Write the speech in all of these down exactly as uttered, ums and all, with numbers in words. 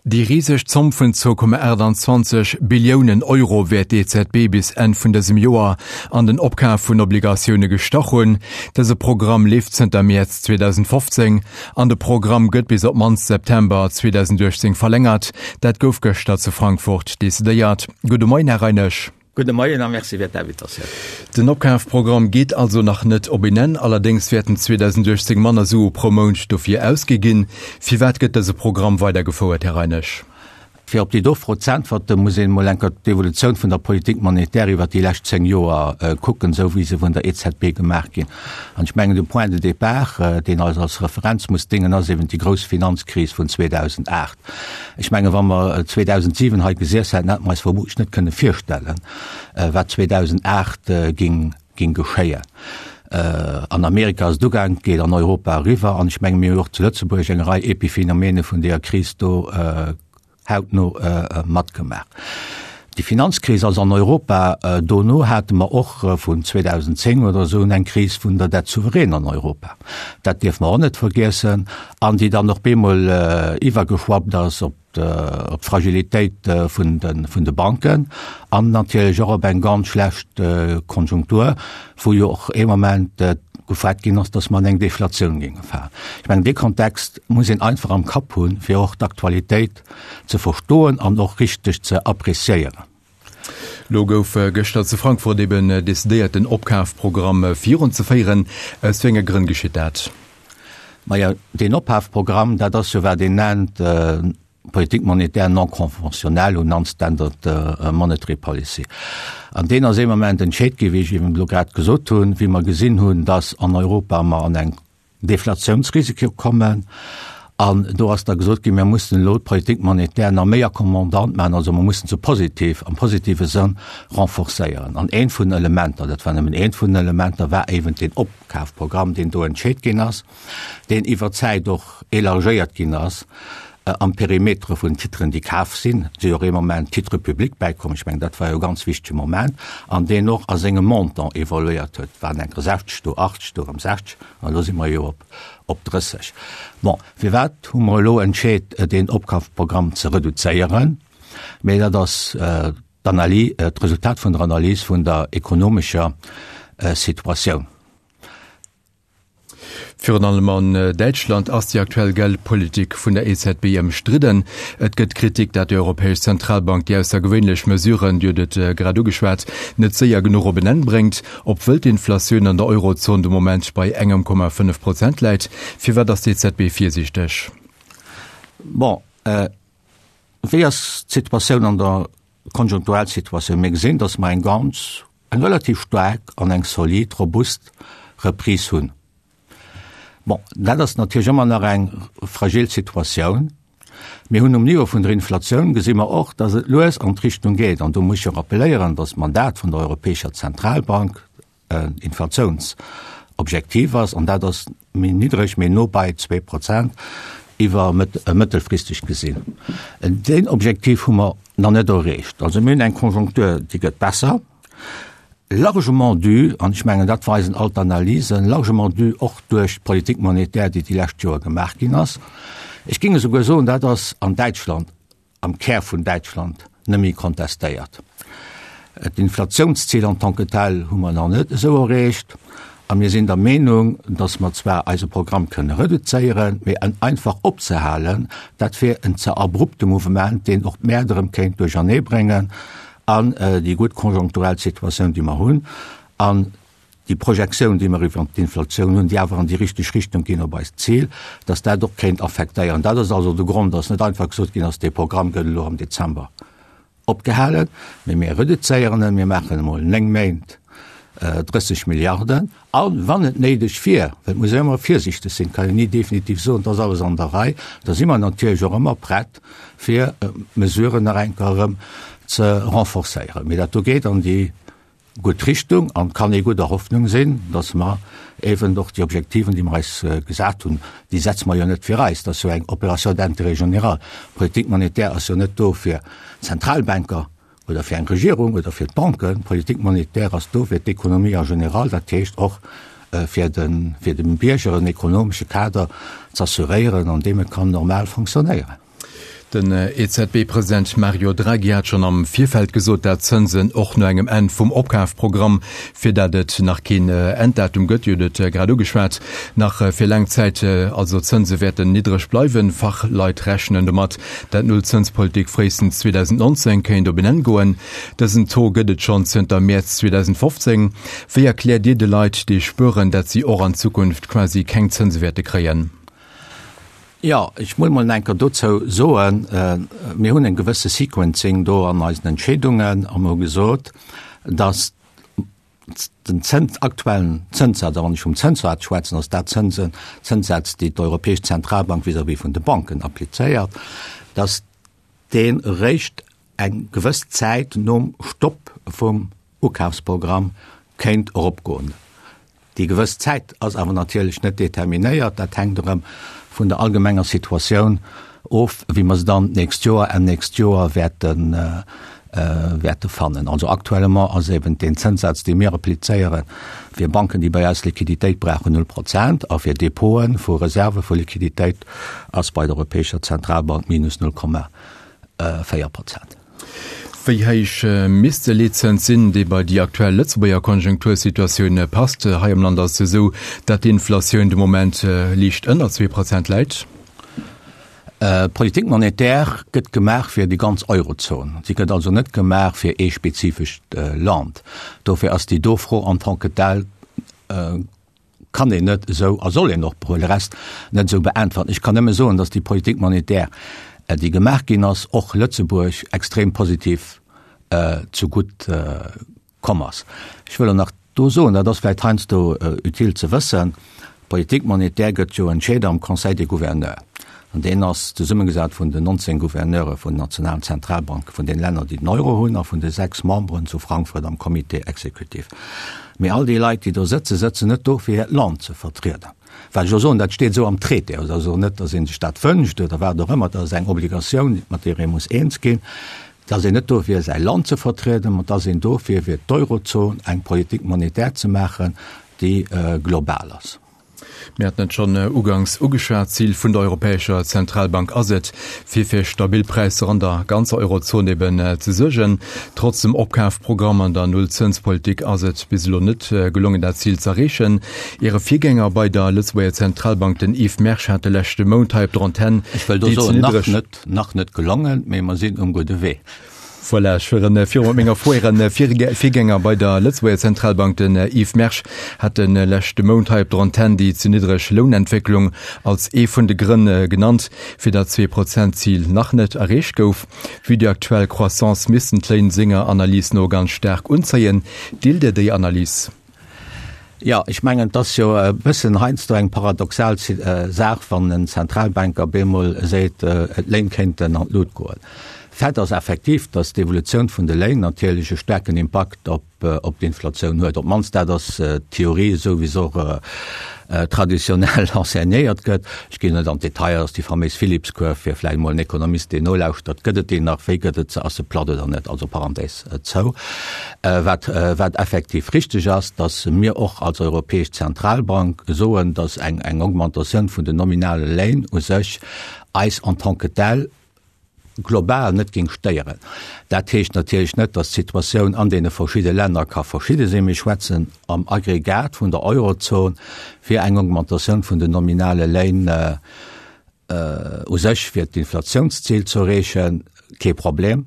Déi riseg Zomm vun zwou Komma aachtanzwanzeg Billiounen Euro wäert d'EZB bis Enn vun dësem Joer an den Opkaf vun Obligatioune gestach hunn. Dëse Programm leeft zënter Mäerz zweedausendfofzéng an de Programm gëtt bis op d'mannst September zweedausendachtzéng verlängert. Dat gouf gëschter zu Frankfurt decidéiert. Gudde Moien, Här Reinesch. Gudde Moien a Merci fir d'Invitatioun. Den Opkafprogramm geet also nach net op een Enn, allerdéngs wäerten zweedausendachtzéng manner Sue pro Mount dofir ausgi ginn. Firwat gëtt dëse Programm weidergefouert, Här Reinesch? Fir op déi do Fro z'äntwerten, muss een emol eng Kéier d'Evolutioun vun der Politique monétaire iwwert déi lescht zéng Joer kucken, esou wéi se vun der E Z B gemaach ginn. An ech mengen, de Point de départ, deen eis als Referenz muss déngen, ass eben déi grouss Finanzkris vun zweedausendacht. Ech mengen, wa mer zweedausentsiwen hei gesiess hätten, hätte mer eis vermutlich net kënne virstellen, wat zweedausendacht ging, ging geschéien. An Amerika ass et ugaang, et geet an Europa eriwwer, an ech menge mir hunn och zu Lëtzebuerg eng Rei Epiphenomene vun deeër Kris do hautno matgemaach. Déi Finanzkris ass an Europa, dono hate mer och vun zweedausendzéng oder esou un eng Kris vun der Dette souveraine an Europa, dat dierfe mer och net vergiessen, an déi dann och bemol iwwergeschwappt ass op d'Fragilitéit vun de Banken an natierlech och op eng ganz schlecht Konjunktur, wou jo och ee Moment gefuert ginn ass, datt mer an eng Deflatioun géinge falen. Ech mengen, dee Kontext muss een einfach am Kapp hunn, fir och d'Aktualitéit ze verstoen an och richteg ze appréciéieren. Lo gouf gëschter zu Frankfurt eben decidéiert, den Opkafprogramm virunzeféieren. Aus wéi enge Grënn geschitt dat? Majo, deen Opkafprogramm, dat ass jo wat een nennt Politique monétaire non conventionnelle ou non-standard monetary policy. An deen ass ee Moment entscheet gi, wéi ech eben elo grad gesot hunn, wéi mer gesinn hunn, dass an Europa mer an eng Deflatiounsrisiko kommen. An do ass da gesot ginn, mir mussen elo d'Politique monétaire nach méi accommodant maachen, also mer mussen se positiv, am positive Sënn renforcéieren. An eent vun den Elementer, dat war nëmmen eent vun den Elementer, war eben deen Opkafprogramm, deen do entscheet ginn ass, deen iwwer d'Zäit och élargéiert ginn ass am Perimetere vun Titren, déi kaf sinn, si och ee Moment Titres publics bäikomm, ech mengen, dat war jo e ganz wichtege Moment, an deen och a sengem Montant evoluéiert huet, waren enker sechzeg, do achtzeg, do erëm sechzeg, an elo si mer jo op op drësseg. Bon, firwat hu mer elo entscheet, deen Opkafprogramm ze reduzéieren? Mee dat ass d'Analy, d'Resultat vun der Analys vun der ekonomescher Situatioun. Virun allem an Däitschland ass déi aktuell Geldpolitik vun der E Z B ëmstridden. Et gëtt Kritik, dat déi Europäesch Zentralbank déi aussergewéinlech Mesuren, Dir hutt et grad ugeschwat, net séier genuch op en Enn bréngt, obwuel d'Inflatioun an der Eurozon de Moment bei engem Komma fënnef Prozent läit. Firwat ass d'E Z B virsiichteg? Bon, wéi ass d'Situatioun an der konjunkturell Situatioun? Mir gesinn, datt mer eng ganz, eng relativ staark an eng solid, robust Reprise hunn. Bon, dat ass natierlech ëmmer nach eng fragil Situatioun. Mir hunn um Niveau vun der Inflatioun gesi mer och, datt et lues an d'Richtung geet. An do muss ech jo rappeléieren, datt d'Mandat vun der Europäescher Zentralbank en Inflatiounsobjektiv ass, an dat ass méi niddreg, méi no bei zwee Prozent iwwer mëttelfristeg gesinn. Deen Objektiv hu mer nach net erreecht. Also mir hunn eng Konjunktur, déi gëtt besser. Largement dû, an ech mengen, dat weisen all d'Analysen, largement dû och duerch d'Politique monétaire, déi déi lescht Joer gemaach ginn ass. Ech géing esouguer soen, dat ass an Däitschland, am Kär vun Däitschland, net méi kontestéiert. D'Inflationszil en tant que tel hu mer nach net esou erreecht. A mir sinn der Meenung, dass mer zwar eise Programm kënne reduzéieren, mee en einfach opzehalen, dat wier en ze abrupte Mouvement, deen och d'Mäert erëm kéint duercherneebréngen. An déi gutt konjunkturell Situatioun, déi mer hunn, an déi Projektioun, déi mer iwwert d'Inflatioun hunn, déi awer an déi richteg Richtung ginn op eist Zil, dass dat och kéint affektéieren. Dat ass also de Grond, dass net einfach gesot ginn ass, dee Programm gëtt elo am Dezember opgehalen, mee mir reduzéieren en, mir maachen emol néng Méint drësseg Milliarden. A wann et néideg wier, well et muss een ëmmer virsiichteg sinn, kann een ni definitiv soen, et ass alles an der Rei, da si mer natierlech och ëmmer prett, fir d'Mesuren nach eng Kéier erëm ze renforcéieren. Mee dat do geet an déi gutt Richtung an et kann ee gudder Hoffnung sinn, datt mer eeben och déi Objektiven, déi mer eis gesat hunn, déi setze mer jo net fir eis, dat ass jo eng Opération d'intérêt général. D'Politique monétaire ass jo net do fir d'Zentralbanker oder fir eng Regierung oder fir d'Banken. D'Politique monétaire ass do fir d'Ekonomie en général, dat heescht och fir de fir dem Bierger en ekonomesche Kader z'assuréieren, an deem e kann normal fonctionnéieren. Den E Z B-President Mario Draghi hat schonn am Virfeld gesot, dat d'Zënsen och no engem Enn vum Opkafprogramm, fir dat et nach keen Enddatum gëtt, Dir hutt et grad ugeschwat, nach fir laang Zäit also d'Zënse wäerten niddreg bleiwen. Fachleit rechnen domat, dat d'Nullzënspolitik fréistens zweedausendnonzéng kéint op en Enn goen. Dësen Taux gëtt et schonn zënter Mäerz zweedausendfofzéng. Wéi erkläert Dir de Leit, déi spueren, dat si och an Zukunft quasi keng Zënse wäerte kréien? Jo, ech muss mol eng Kéier dozou soen, mir hunn e gewësse Sequencing do an eisen Entscheedungen a mir hu gesot, dass den Zëns, aktuellen Zënssaz, a wann ech vum Zënssaz schwätzen, ass dat Zënsen, Zënssätz, déi d'Europäesch Zentralbank vis-à-vis vun de Banken applizéiert, dass deen eréischt eng gewëss Zäit nom Stopp vum Ukafsprogramm kéint eropgoen. Déi gewëss Zäit ass awer natierlech net determinéiert, dat hänkt erëm vun der allgemenger Situatioun of, wéi mer se dann d'nächst Joer, Enn nächst Joer wäerten, wäerte fannen. Also actuellement ass eben deen Zënssaz, dee mir applizéieren, fir Banken, déi bei eis Liquiditéit brauchen, null Prozent a fir Depote vu Reserve vu Liquiditéit ass bei der Europäescher Zentralbank minus null Komma véier Prozent. Wéi héich misst de Leetzëns sinn, dee bei déi aktuell Lëtzebuerger Konjunktursituatioun passt? Hei am Land ass et esou, datt d'Inflatioun de Moment liicht ënner zwee Prozent läit. D'Politique monétaire gëtt gemaach fir déi ganz Eurozon. Si gëtt also net gemaach fir ee spezifescht Land. Dofir ass déi do Fro en tant que telle kann een net esou a soll een och pour le reste net esou beäntweren. Ech kann nëmme soen, datt déi Politique monétaire, déi gemaach ginn ass, och Lëtzebuerg extrem positiv zegutt komm ass. Ech wëll och nach do soen, dat ass vläicht heiansdo utile ze wëssen, D'Politique monétaire gëtt jo entscheet am Conseil des Gouverneurs, an deen ass zesummegesat vun den nonzéng Gouverneure vun den nationalen Zentralbanke vun den Länner, déi den Euro hunn, a vun de sechs Memberen zu Frankfurt am Comité exécutif. Mee all déi Leit, déi do sëtzen, sëtzen net do, fir hiert Land ze vertrieden. Well ech jo soen, dat steet esou am Traité. Et ass also net, datt ee sech dat wënscht oder wat och ëmmer, dat ass eng Obligatioun, mat deer ee muss eens ginn. Et ass een net do, fir säi Land ze vertrieden, ma et ass een do, fir fir d'Eurozon eng Politique monétaire ze maachen, déi global ass. Mir haten et schonn uganks ugeschwat, D'Zil vun der Europäescher Zentralbank ass et, fir fir stabil Präisser an der ganzer Eurozon eben ze suergen. Trotz dem Opkafprogramm an der Nullzënspolitik ass et bis elo net gelongen, dat Zil z'erreechen. Äre Virgänger bei der Lëtzebuerger Zentralbank, den Yves Mersch, hat de leschte Mount hei op der Antenn Ech wëll do déi ze soen, nach niddreg. net, nach net gelongen, mee mer sinn um gudde Wee. Voilà, ech fueren viru mat menger Fro. Äre Virgänger bei der Lëtzebuerger Zentralbank, den Yves Mersch, hat de leschte Mount hei op der Antenn déi ze niddreg Lounentwécklung als ee vun de Grënn genannt, fir dat Zwee-Prozent-Zil nach net erreecht gouf. Vue déi aktuell Croissance missten d'Léin senger Analys no ganz staark unzéien. Deelt Dir déi Analys? Jo, ech mengen, et ass jo e bëssen heiansdo eng paradoxal Saach, wann en Zentralbanker bemol seet, d'Léin kéinten an d'Lut goen. Fait ass effektiv, datt d'Evolutioun vun de Léin natierlech e staarken Impakt op d'Inflatioun huet. Op d'mannst dat ass d'Theorie, esou wéi se och traditionell enseignéiert gëtt. Ech ginn net an d'Detailer, ass déi faméis Phillips-Kurv, fir vläicht emol en Ekonomist, deen nolauschtert, gëtt et déi nach, wéi gëtt et se, ass se platt oder net, also Parenthèse zou. Wat, wat effektiv richteg ass, datt mir och als Europäesch Zentralbank soen, datt eng, eng Augmentatioun vun den nominale Léin u sech eis en tant que telle global net géing stéieren. Dat heescht natierlech net, datt d'Situatioun an deene verschidde Länner ka verschidde sinn. Mir schwätzen am Aggregat vun der Eurozon fir eng Augmentatioun vun den nominale Léin u sech fir d'Inflatiounszil ze erreechen, kee Problem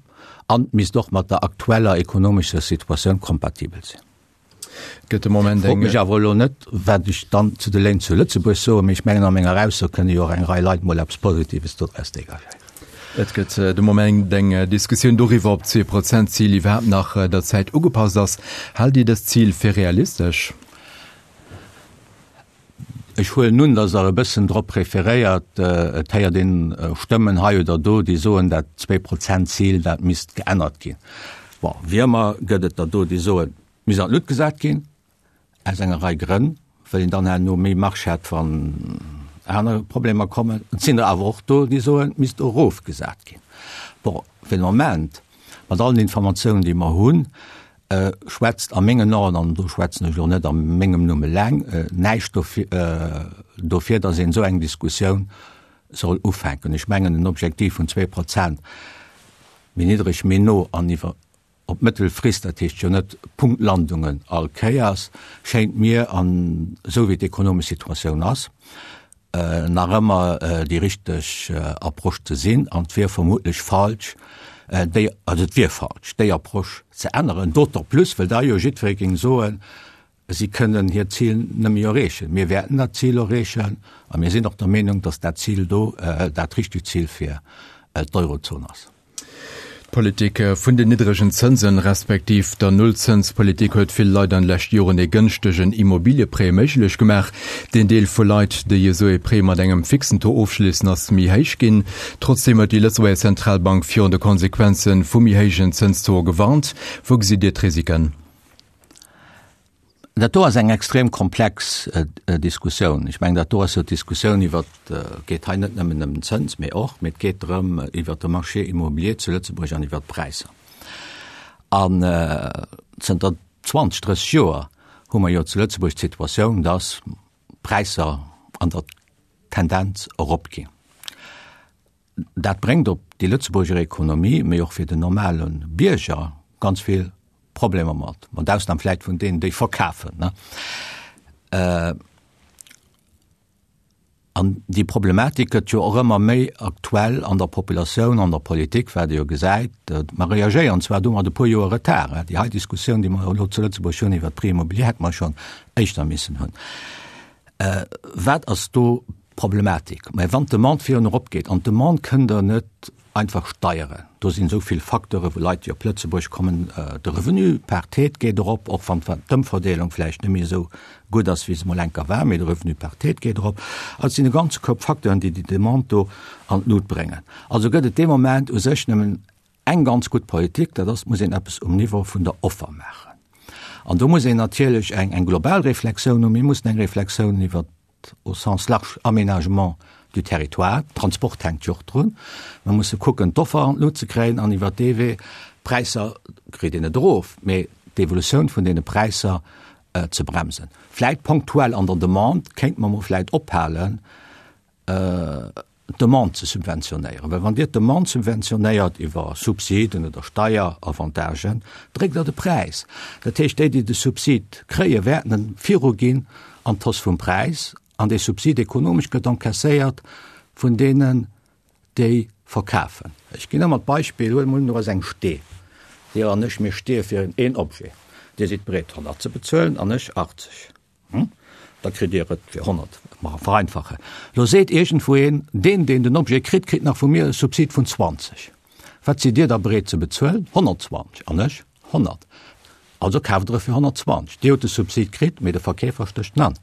an misst och mat der aktueller ekonomescher Situatioun kompatibel sinn. Gëtt de Moment Frot eng. mech awer elo net, wat ech dann zu de Léin zu Lëtzebuerg soen, mee ech mengen, a menger Ausso kënne jo och eng Rei Leit mol eppes Positives dodraus dégagéieren. Et gëtt de Moment eng Diskussioun doriwwer, ob d'Zwee-Prozent-Zil iwwerhaapt nach der Zäit ugepasst ass. Haalt Dir dëst Zil fir realistesch? Ech huelen un, datt Der e bëssen drop referéiert, et héiert een Stëmmen hei oder do, déi soen, dat Zwee-Prozent-Zil, dat misst geännert ginn. Bon, wéi ëmmer gëtt et der do, déi soen, et misst an d'Luucht gesat ginn, aus enger Rei Grënn, well een dann herno méi Marge hätt, wann aner Problemer kommen. Et sinn der awer och do, déi soen, et misst erofgesat ginn. Bon, fir de Moment, mat allen Informatiounen, déi mer hunn, schwätzt a mengen Aen, an do schwätzen ech elo net a mengem Numm eleng, näischt dofir, datt een esou eng Diskussioun soll ufänken. Ech mengen, en Objektiv vun zwee Prozent, méi niddreg, méi no an iwwer op Mëttelfrist, dat heescht jo net Punktlandungen all Kéiers, schéngt mir, an esou wéi d'ekonomesch Situatioun ass, nach ëmmer déi richteg Approche ze sinn. An et wier vermutlech falsch, déi, also et wier falsch, déi Approche ze änneren, d'autant plus well da jo jiddweree géing soen, si kënnen hiert Zil net méi erreechen. Mir wäerten dat Zil erreechen a mir sinn och der Meenung, datt dat Zil do dat richtegt Zil fir d'Eurozon ass. D'Politik vun den niddregen Zënsen, respektiv der Nullzënspolitik huet vill Leit an de leschte Joren ee gënschtegen Immobilieprêt méiglech gemaach. Den Deel vu Leit, déi esou ee Prêt mat engem fixen Taux ofschléissen, ass méi héich ginn. Trotzdeem huet déi Lëtzebuerger Zentralbank virun de Konsequenze vu méi héijen Zënstauxe gewarnt. Wou gesitt Dir d'Risiken? Dat do ass eng extrem komplex Diskussioun. Ech mengen, dat do ass jo d'Diskussioun iwwer, et geet hei net nëmmen ëm den Zëns, mee och, mee et geet drëm iwwer de Marché immobilier zu Lëtzebuerg an iwwer d'Präisser. An zënter zwanzeg, drësseg Joer hu mer jo zu Lëtzebuerg d'Situatioun, dass d'Präisser an der Tendenz eropginn. Dat bréngt op déi Lëtzebuerger Ekonomie, mee och fir den normale Bierger ganz vill Problemer mat, mat Ausnam vläit vun deenen, déi verkafen. An déi Problematik gëtt jo och ëmmer méi aktuell an der Populatioun, an der Politik, wat ee jo gesäit. Mer reagéieren zwar do mat e puer Joer Retard. Déi hei Diskussioun, déi mer elo zu Lëtzebuerg hunn iwwert d'Prix immobilier, hätte mer schonn éischter missen hunn. Wat ass do d'Problematik? Mä wann d'Demande virun eropgeet, an d'Demande kënnt Der net einfach steieren, do sinn esou vill Facteure wou Leit, déi op Lëtzebuerg kommen, de Revenu par tête geet erop, och wann d'Ëmverdeelung vläicht net méi esou gutt ass, wéi se mol enker war, mee de Revenu par tête geet erop. Also et sinn e ganze Koup Facteuren, déi déi Demande do an d'Lut bréngen. Also gëtt et dee Moment u sech nëmmen eng ganz gutt Politik, dat ass, et muss een eppes um Niveau vun der Offer maachen. An do muss een natierlech eng global Reflexioun hunn. Mir mussen eng Reflexioun iwwert au sens large Aménagement du territoire, Transport hänkt jo och drun, mer musse kucken d'Offer an d'Lut ze kréien an iwwert dee Wee d'Präisser, kritt een net erof, mee d'Evolutioun vun deene Präisser ze bremsen. Vläit ponktuell an der Demande kéinte mer mol vläit ophalen, d'Demande ze subventionéieren, well wann Dir d'Demande subventionéiert iwwer Subsiden oder Steieravantagen, dréckt Der de Präis. Dat heescht, déi, déi de Subsid kréien, wäerten en viruginn an d'Hausse vum Präis, an dee Subsid ekonomesch gëtt encaisséiert vun deenen, déi verkafen. Ech ginn ëmmer d'Beispill, huele mer un, do ass eng Stee, Dir an ech, mir steeë fir een Objet, Dir sidd bereet honnert ze bezuelen an ech achtzeg. Da kritt Dir et fir honnert, mer vereinfachen. Lo seet iergendwou een, deen, deen den Objet kritt, kritt nach vu mir e Subsid vun zwanzeg. Wat sidd Dir da bereet ze bezuelen? Honnertzwanzeg. An ech? Honnert. Also kaaft Der e fir honnertzwanzeg. Dir hutt de Subsid kritt, mee de Verkeefer stécht en an.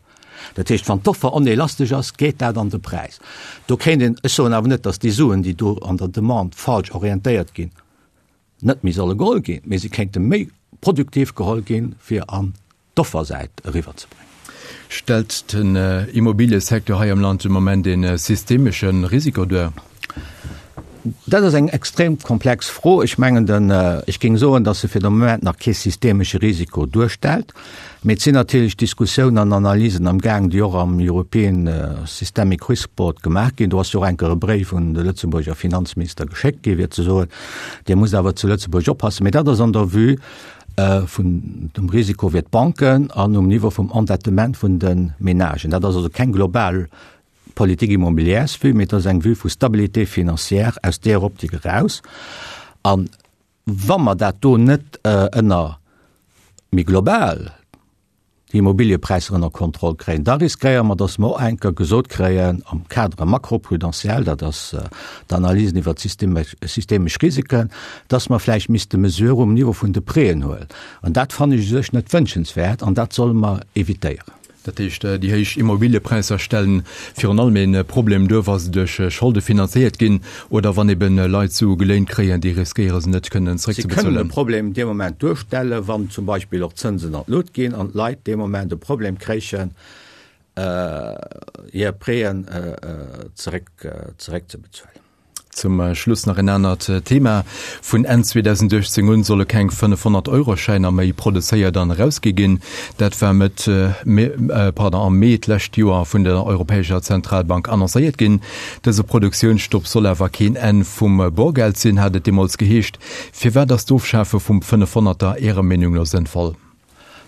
Dat heescht, wann d'Offer onelastesch ass, geet dat an de Präis. Do kéint een, ech soen awer net, datt déi Suen, déi do an der Demande falsch orientéiert ginn, net méi solle geholl ginn, mee se kéinte méi produktiv geholl ginn, fir an d'Offersäit eriwwerzebréngen. Stellt den Immobiliësecteur hei am Land de Moment ee systemesche Risiko duer? Dat ass eng extrem komplex Fro. Ech mengen, den, ech géing soen, datt se fir de Moment nach kee systemesche Risiko duerstellt. Mee et sinn natierlech Diskussiounen an Analysen am Gaang, déi och am European Systemic Risk Board gemaach ginn. Do ass jo och enker e Bréif un de Lëtzebuerger Finanzminister geschéckt gi fir ze soen, Dir musst awer zu Lëtzebuerg oppassen. Mee dat ass an der Vue vun dem Risiko fir d'Banken an um Niveau vum Endettement vun de Menagen. Dat ass also keng global Politique immobilière-Vue, mee et ass eng Vue vu Stabilité financière aus där Optik eraus. A wa mer dat do net ënner méi global déi Immobiliëpräisser ënner Kontroll kréien, da riskéiere mer, datt mer och eng Kéier gesot kréien am Cadre macroprudentiel, dat ass d'Analysen iwwert systemesch Risiken, datt mer vläicht misste Mesurë um Niveau vun de Prêten huelen. An dat fannen ech u sech net wënschenswäert an dat solle mer évitéieren. Dat heescht, déi héich Immobiliëpräisser stellen virun allem ee Problem duer, wa se duerch Scholde finanzéiert ginn oder wann ebe Leit Sue geléint kréien, déi riskéiere se net kënnen zeréckzebezuelen. Se kënnen e Problem dee Moment duerstellen, wann zum Beispill och d'Zënsen an d'Lut ginn an d'Leit dee Moment e Problem kréichen, hir Prêten zeréckzebezuelen. Zum Schluss nach en anert Thema. Vun Enn zweedausendachtzéng un solle keng fënnefhonnert-Euro-Schäiner méi produzéiert an erausgi ginn. Dat war Mëtt, pardon, am Mee d'lescht Joer vun der Europäescher Zentralbank annoncéiert ginn. Dëse Produktiounsstopp soll awer keen Enn vum Borgeld sinn, hat et deemools geheescht. Firwat ass d'Ofschafe vum Fënnefhonnerter Ärer Meenung no sënnvoll?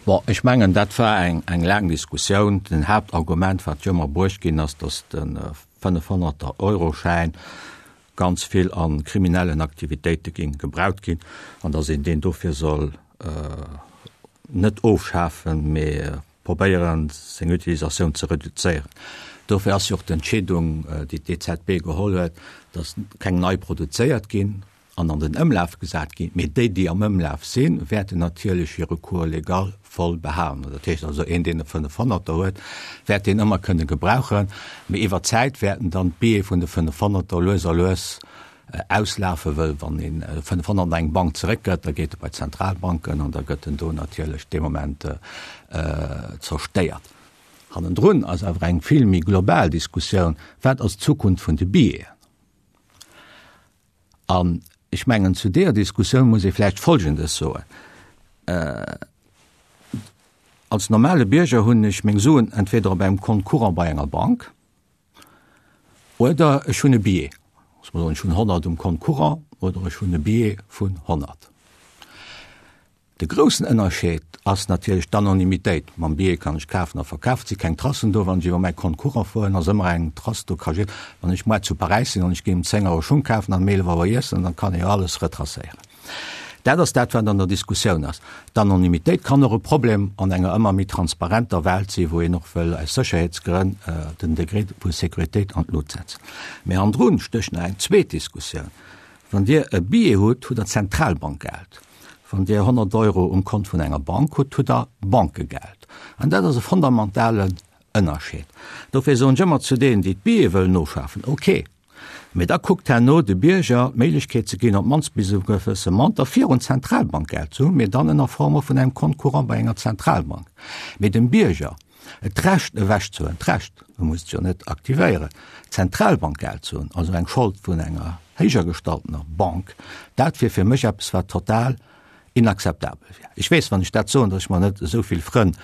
Bon, ech mengen, dat war eng, eng laang Diskussioun. Den Haaptargument, wat jo ëmmer bruecht ginn ass, datt de Fënnefhonnerter-Euro-Schäin ganz vill a kriminellen Aktivitéite géing gebraucht ginn an datt een deen dofir soll net ofschafen, mee probéieren, seng Utilisatioun ze reduzéieren. Dofir ass jo och d'Entscheedung, déi d'E Z B geholl huet, datt keng nei produzéiert ginn an an den Ëmlaf gesat ginn, mee déi, déi am Ëmlaf sinn, wäerten natierlech hire Cours légal voll behalen. Dat heescht also, een, deen e Fënnefhonnerter huet, wäert deen ëmmer kënne gebrauchen, mee iwwer d'Zäit wäerten dann d'Billete vun de Fënnefhonnerter lues a lues auslafen, wëll wann een e Fënnefhonnert an eng Bank zeréckgëtt, da geet e bei d'Zentralbanken an da gëtt en do natierlech dee Moment zerstéiert. Hannendrun ass awer eng vill méi global Diskussioun, Wat ass d'Zukunft vun de Billeten? An ech mengen, zu deeër Diskussioun muss ee vläicht Folgendes soen, Als normale Bierger hunn ech meng Suen entweder op engem Compte courant bei enger Bank oder ech hunn e Billet. Loosse mer soen, ech hunn honnert um Compte courant oder ech hunn e Billet vun honnert. De groussen Ënnerscheed ass natierlech d'Anonymitéit. Mam Billet kann ech kafen a verkafen, et si keng Tracen do. Wann ech iwwer mäi Compte courant fueren, ass ëmmer eng Trace do. Ka jid, wann ech muer zu Paräis sinn an ech ginn um zéng Auer Schung kafen an um eelef Auer iessen, dann kann ee jo alles retracéieren. Dat ass dat, wat an der Diskussioun ass. D'Anonymitéit kann och e Problem an enger ëmmer méi transparenter Welt sinn, wou een och wëll aus Sécherheetsgrënn den Degré vu Sécuritéit an d'Lut setzen. Mee hannendrun stécht nach eng zweet Diskussioun. Wann Dir e Billet hutt, hutt Der Zentralbankgeld. Wann Dir honnert Euro um Kont vun enger Bank hutt, hutt Der Bankegeld. An dat ass e fondamentalen Ënnerscheed. Dofir soen ech ëmmer zu deenen, déi d'Billete wëllen ofschafen, Ok, mee da kuckt herno de Bierger d'Méiglechkeet ze ginn, op d'mannst bis e gewësse Montant virun Zentralbankgeld ze hunn, mee dann ënner Form och vun engem Compte courant bei enger Zentralbank. Mee dem Bierger d'Recht ewechzehuelen, d'Recht, e muss et jo net aktivéieren, Zentralbankgeld ze hunn, also eng Schold vun enger héijer gestaltener Bank, dat wier fir mech eppes, wat total inakzeptabel wier. Ech weess, wann ech dat soen, datt ech mer net esou vill Frënn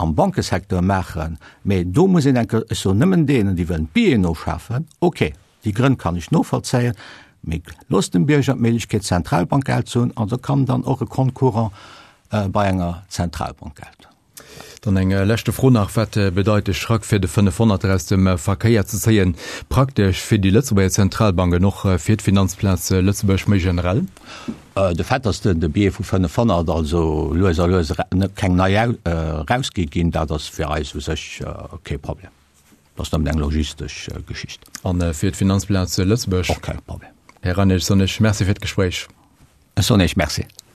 am Bankesecteur maachen, mä do muss een enke, ech soen nëmmen deenen, déi wëllen d'Billeten ofschafen, ok, déi Grënn kann ech novollzéien, mä loosst dem Bierger d'Méiglechkeet, Zentralbankgeld ze hunn, an da kann dann och e Compte courant bei enger Zentralbankgeld. Dann eng leschte Fro nach, Wat bedeit de Schrack fir de fënnefhonnerter aus dem Verkéier ze zéien, praktesch fir déi Lëtzebuerger Zentralbank an och fir d'Finanzplaz Lëtzebuerg méi generell? De Fait, datt de Billet vu fënnefhonnert also lues a lues keng nei erausgi ginn, dat ass fir eis u sech kee Problem. Dat ass nëmmen eng logistesch Geschicht. A fir d'Finanzplaz Lëtzebuerg? Och kee Problem. Här Reinelt, soen ech Merci fir d'Gespréich. Ech soen Iech Merci.